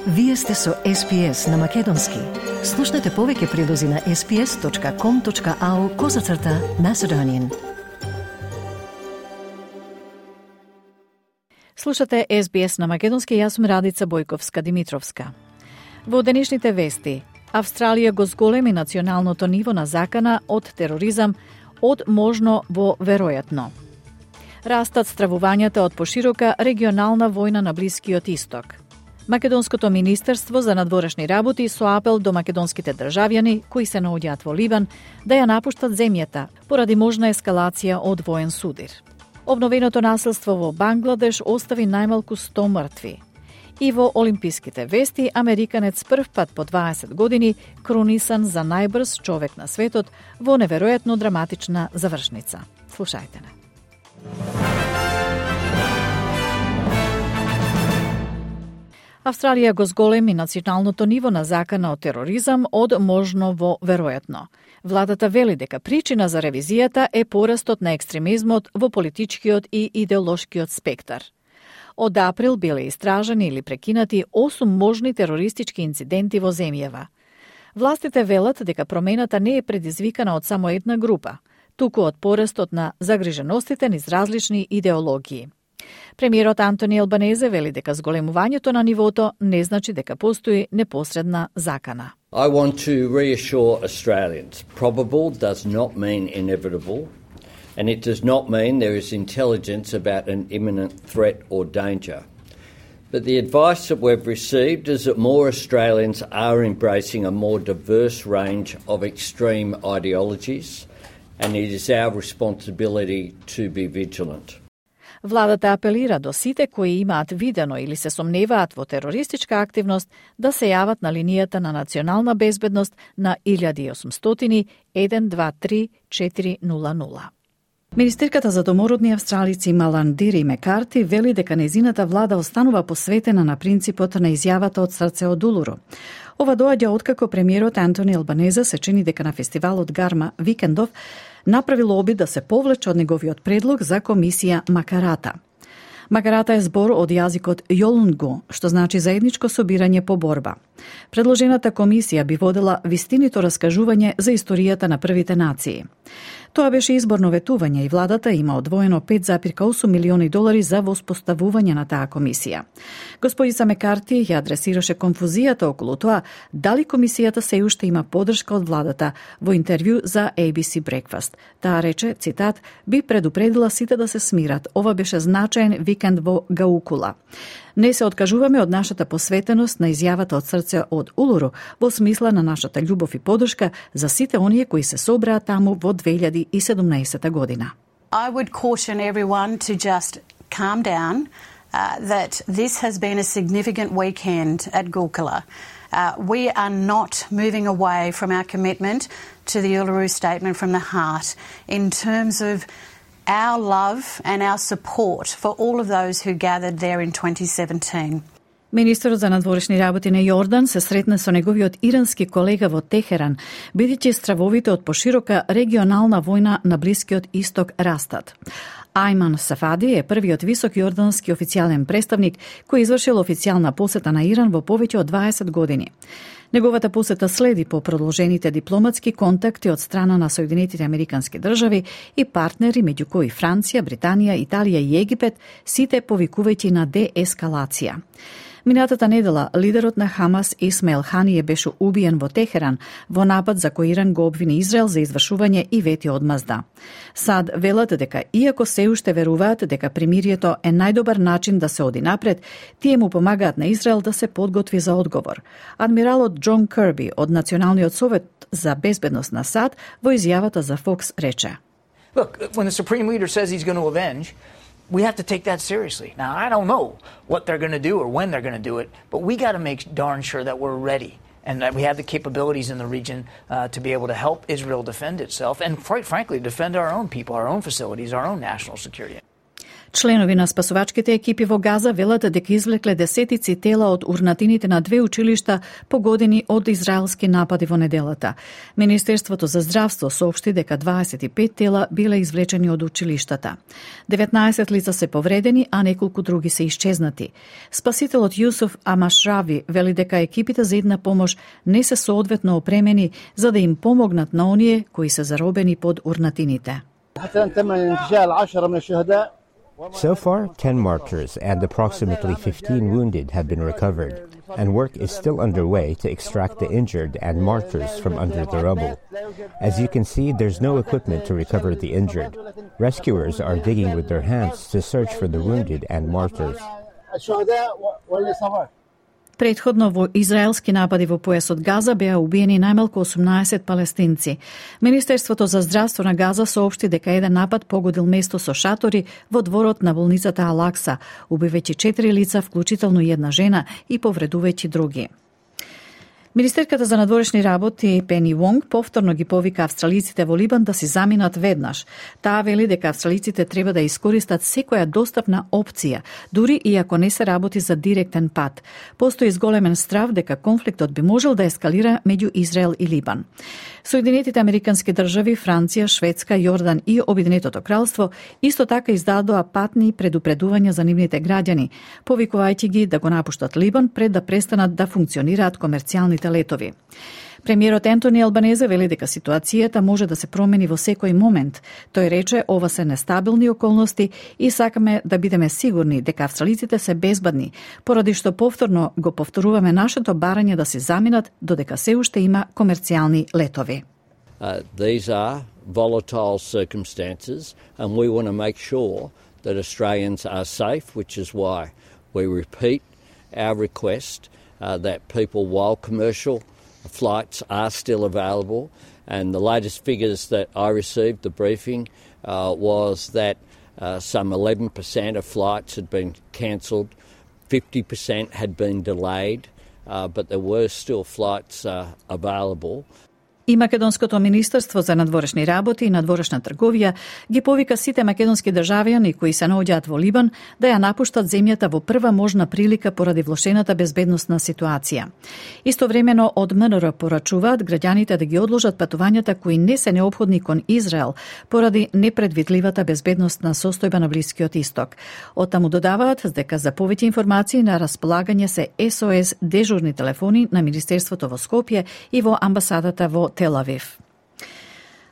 Вие сте со SPS на Македонски. Слушнете повеќе прилози на sps.com.au/Macedonian. Слушате SBS на Македонски, јас сум Радица Бојковска-Димитровска. Во денешните вести, Австралија го зголеми националното ниво на закана од тероризам од можно во веројатно. Растат стравувањата од поширока регионална војна на Блискиот Исток. Македонското министерство за надворешни работи со апел до македонските државјани кои се наоѓаат во Ливан да ја напуштат земјата поради можна ескалација од воен судир. Обновеното насилство во Бангладеш остави најмалку 100 мртви. И во олимписките вести, американец прв пат по 20 години кронисан за најбрз човек на светот во неверојатно драматична завршница. Слушајте не. Австралија го зголеми националното ниво на закана од тероризам од можно во веројатно. Владата вели дека причина за ревизијата е порастот на екстремизмот во политичкиот и идеолошкиот спектар. Од април биле истражани или прекинати 8 можни терористички инциденти во земјава. Властите велат дека промената не е предизвикана од само една група, туку од порастот на загриженостите низ различни идеологии. Премиерот Антони Албанезе вели дека зголемувањето на нивото не значи дека постои непосредна закана. I want to reassure Australians, probable does not mean inevitable, and it does not mean there is intelligence about an imminent threat or danger. But the advice that we've received is that more Australians are embracing a more diverse range of extreme ideologies, and it is our responsibility to be vigilant. Владата апелира до сите кои имаат видено или се сомневаат во терористичка активност да се јават на линијата на национална безбедност на 1800 123 400. Министерката за домородни австралици Маландири Мекарти вели дека нејзината влада останува посветена на принципот на изјавата од срце од улуру. Ова доаѓа откако премиерот Антони Албанезе се чини дека на фестивалот Гарма Викендов направил обид да се повлече од неговиот предлог за комисија Макарата. Макарата е збор од јазикот Јолунгу, што значи заедничко собирање по борба. Предложената комисија би водела вистинито раскажување за историјата на првите нации. Тоа беше изборно ветување и владата има одвоено $5,8 милиони за воспоставување на таа комисија. Господица Мекарти ја адресираше конфузијата околу тоа дали комисијата се уште има поддршка од владата во интервју за ABC Breakfast. Таа рече, цитат, би предупредила сите да се смират. Ова беше значаен викенд во Гаукула. Не се откажуваме од нашата посветеност на изјавата од срце од Улуру во смисла на нашата љубов и поддршка за сите оние кои се собраа таму во 2017 година. I would caution everyone to just calm down, that this has been a significant weekend at Gulkula. We are not moving away from our commitment to the Uluru Statement from the Heart in terms of our love and our support for all of those who gathered there in 2017. Министерот за надворешни работи на Јордан се сретна со неговиот ирански колега во Техеран, бидејќи стравовите од поширока регионална војна на Блискиот Исток растат. Ајман Сафади е првиот висок јордански официјален представник кој извршил официјална посета на Иран во повеќе од 20 години. Неговата посета следи по продолжените дипломатски контакти од страна на Соединетите Американски држави и партнери меѓу кои Франција, Британија, Италија и Египет, сите повикувајќи на деескалација. Минатата недела, лидерот на Хамас Исмаил Ханије беше убиен во Техеран во напад за кој Иран го обвини Израел за извршување и вети одмазда. САД велат дека, иако се уште веруваат дека примирието е најдобар начин да се оди напред, тие му помагаат на Израел да се подготви за одговор. Адмиралот Џон Кирби од Националниот совет за безбедност на САД во изјавата за Fox рече: Look, when the Supreme Leader says he's going to avenge, we have to take that seriously. Now, I don't know what they're going to do or when they're going to do it, but we got to make darn sure that we're ready and that we have the capabilities in the region to be able to help Israel defend itself and, quite frankly, defend our own people, our own facilities, our own national security. Членови на спасувачките екипи во Газа велат дека извлекле десетици тела од урнатините на 2 училишта погодени од израелски напади во неделата. Министерството за здравство соопшти дека 25 тела биле извлечени од училиштата. 19 лица се повредени, а неколку други се исчезнати. Спасителот Јусуф Амашрави вели дека екипите за една помош не се соодветно опремени за да им помогнат на оние кои се заробени под урнатините. So far, 10 martyrs and approximately 15 wounded have been recovered, and work is still underway to extract the injured and martyrs from under the rubble. As you can see, there's no equipment to recover the injured. Rescuers are digging with their hands to search for the wounded and martyrs. Претходно во израелски напади во појасот Газа беа убиени најмалку 18 палестинци. Министерството за здравство на Газа соопшти дека еден напад погодил место со шатори во дворот на болницата Алакса, убивајќи 4 лица, вклучително и една жена, и повредувајќи други. Министерката за надворешни работи Пени Вонг повторно ги повика австралиците во Либан да си заминат веднаш. Таа вели дека австралиците треба да искористат секоја достапна опција, дури и ако не се работи за директен пат. Постои зголемен страв дека конфликтот би можел да ескалира меѓу Израел и Либан. Соединетите американски држави, Франција, Шведска, Јордан и Обединетото кралство исто така издадоа патни предупредувања за нивните граѓани, повикувајќи ги да го напуштат Либан пред да престанат да функционираат комерцијалните летови. Премиерот Ентони Албанезе вели дека ситуацијата може да се промени во секој момент. Тој рече, ова се нестабилни околности и сакаме да бидеме сигурни дека австралиците се безбедни, поради што повторно го повторуваме нашето барање да се заминат додека се уште има комерцијални летови. These are volatile circumstances and we want to make sure that Australians are safe, which is why we repeat our request that people, while commercial flights are still available, and the latest figures that I received, the briefing, was that some 11% of flights had been cancelled, 50% had been delayed, but there were still flights available. И Македонското министерство за надворешни работи и надворешна трговија ги повика сите македонски државјани кои се наоѓаат во Либан да ја напуштат земјата во прва можна прилика поради влошената безбедносна ситуација. Истовремено од МНР порачуваат граѓаните да ги одложат патувањата кои не се неопходни кон Израел поради непредвидливата безбедносна состојба на Блискиот Исток. Оттаму додаваат дека за повеќе информации на располагање се СОС дежурни телефони на Министерството во Скопје и во амбасадата во Тел Авив.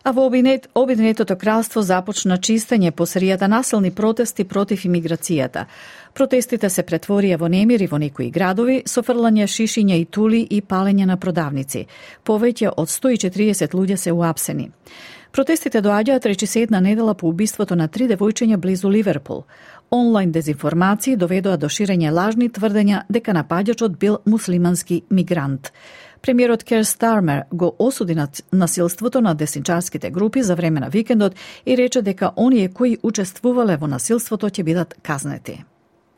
А во Обединетото кралство започна чистење по серијата насилни протести против имиграцијата. Протестите се претворија во немири во некои градови со фрлање шишиња и тули и палење на продавници. Повеќе од 140 луѓе се уапсени. Протестите доаѓаат речисе една недела по убиството на 3 девојчиња близу Ливерпул. Онлайн дезинформации доведоа до ширење лажни тврдења дека напаѓачот бил муслимански мигрант. Премиерот Кер Стармер го осуди насилството на десничарските групи за време на викендот и рече дека оние кои учествувале во насилството ќе бидат казнети.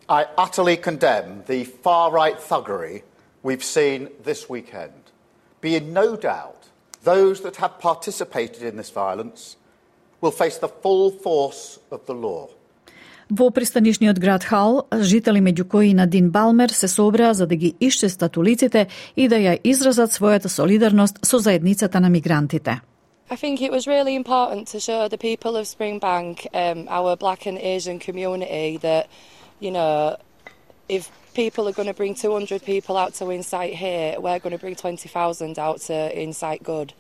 I utterly condemn the far-right thuggery we've seen this weekend. Be in no doubt those that have participated in this violence will face the full force of the law. Во пристанишниот град Хал, жители меѓу кои Надин Балмер се собраа за да ги исчестат улиците и да ја изразат својата солидарност со заедницата на мигрантите. I think it was really important to show the people of Springbank, our Black and Asian community, that, you know, if people are going to bring 200 people out to incite hate, we're going to bring 20,000 out to incite good.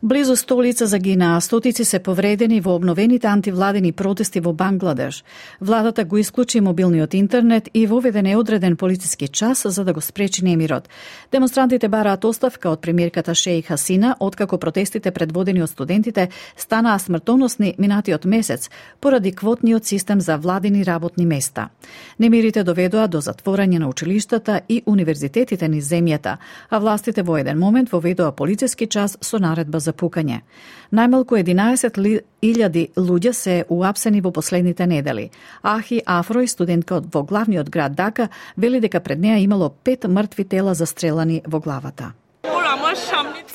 Близу 100 лица загинаа, стотици се повредени во обновените антивладени протести во Бангладеш. Владата го исклучи мобилниот интернет и воведе неодреден полициски час за да го спречи немирот. Демонстрантите бараат оставка од премиерката Шејх Хасина, откако протестите предводени од студентите станаа смртоносни минатиот месец поради квотниот систем за владени работни места. Немирите доведоа до затворање на училиштата и универзитетите низ земјата, а властите во еден момент воведоа полициски час со наредба за пукање. Најмалку 11.000 луѓе се уапсени во последните недели. Ахи Афрој, студентка во главниот град Дака, вели дека пред неа имало 5 мртви тела застрелани во главата.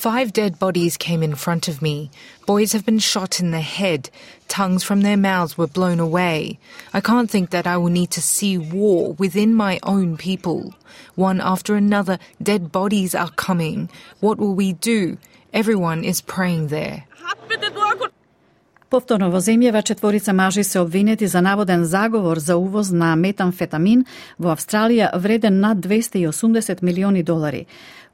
5 dead bodies came in front of me. Boys have been shot in the head. Tongues from their mouths were blown away. I can't think that I will need to see war within my own people. One after another, dead bodies are coming. What will we do? Everyone is praying there. Повторно во земјава 4 мажи се обвинети за наводен заговор за увоз на метамфетамин во Австралија вреден над $280 милиони.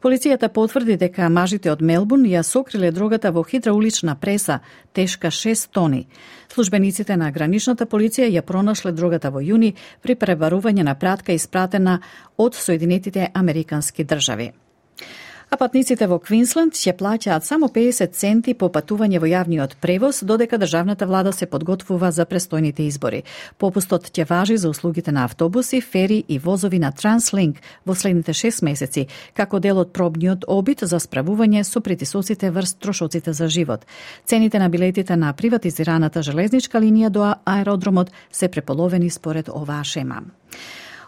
Полицијата потврди дека мажите од Мелбурн ја сокриле дрогата во хидраулична преса, тешка 6 тони. Службениците на граничната полиција ја пронашле дрогата во јуни при пребарување на пратка испратена од Соединетите Американски држави. А патниците во Квинсленд ќе плаќаат само 50 центи по патување во јавниот превоз, додека државната влада се подготвува за престојните избори. Попустот ќе важи за услугите на автобуси, фери и возови на Транслинк во следните 6 месеци, како дел од пробниот обид за справување со притисоците врз трошоците за живот. Цените на билетите на приватизираната железничка линија до аеродромот се преполовени според оваа шема.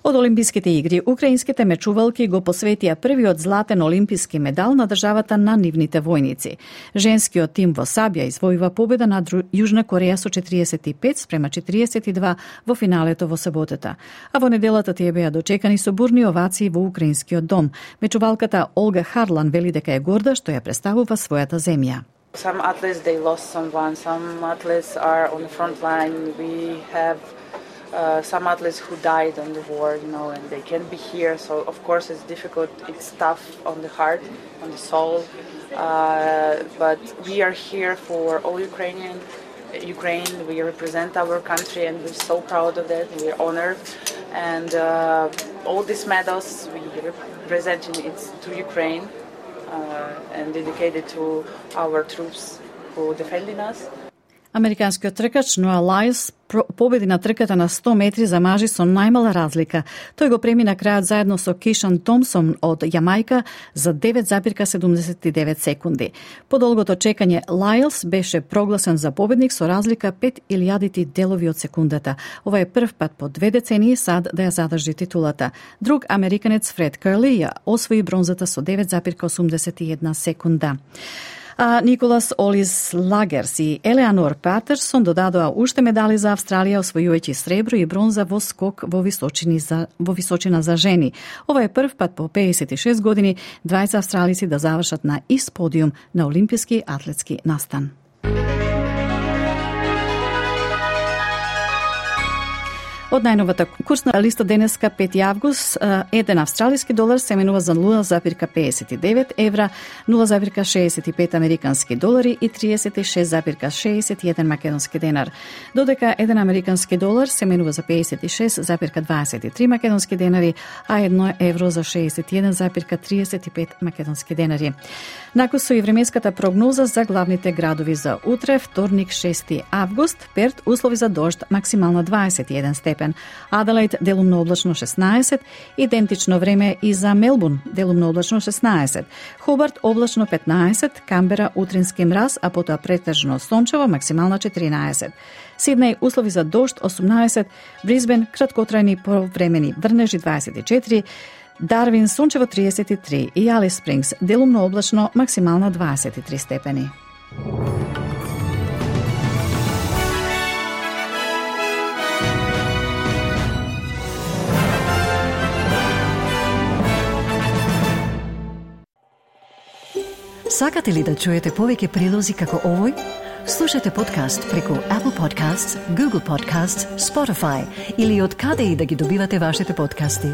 Од Олимписките игри, украинските мечувалки го посветија првиот златен олимписки медал на државата на нивните војници. Женскиот тим во сабја извојува победа над Јужна Кореја со 45-42 во финалето во саботата. А во неделата тие беа дочекани со бурни овации во украинскиот дом. Мечувалката Олга Харлан вели дека е горда што ја представува својата земја. Some athletes they lost someone, some athletes are on the front line. We have some athletes who died on the war, and they can't be here. So of course it's difficult. It's tough on the heart, on the soul. But we are here for all Ukraine. We represent our country, and we're so proud of that. We're honored, and all these medals we represent to Ukraine and dedicated to our troops who are defending us. Американскиот тркач Ноа Лајлс победи на трката на 100 метри за мажи со најмала разлика. Тој го премина крајот заедно со Кишан Томсон од Јамајка за 9,79 секунди. По долгото чекање, Лајлс беше прогласен за победник со разлика 5.000 делови од секундата. Ова е прв пат по 2 децении сад да ја задржи титулата. Друг американец Фред Керли ја освои бронзата со 9,81 секунда. А Николас Олис Лагерс и Елеанор Патерсон додадоа уште медали за Австралија, освојувајќи сребро и бронза во скок во височина за жени. Ова е прв пат по 56 години двајца австралици да завршат на ист подиум на олимписки атлетски настан. Од најновата курсна листа денеска 5 август, еден австралиски долар се менува за 0,59 евра, 0,65 американски долари и 36,61 македонски денар. Додека еден американски долар се менува за 56,23 македонски денари, а 1 евро за 61,35 македонски денари. Накусо и временската прогноза за главните градови за утре, вторник 6 август, Перт услови за дожд максимално 21 степен. Аделаид делумно облачно 16, идентично време и за Мелбурн делумно облачно 16, Хобарт облачно 15, Камбера утрински мраз, а потоа претежно сончево максимално 14. Сиднеј услови за дожд 18, Брисбен краткотрајни повремени врнежи 24, Дарвин сончево 33 и Алис Спрингс делумно облачно максимално 23 степени. Сакате ли да чуете повеќе прилози како овој? Слушате подкаст преку Apple Podcasts, Google Podcasts, Spotify или од каде и да ги добивате вашите подкасти.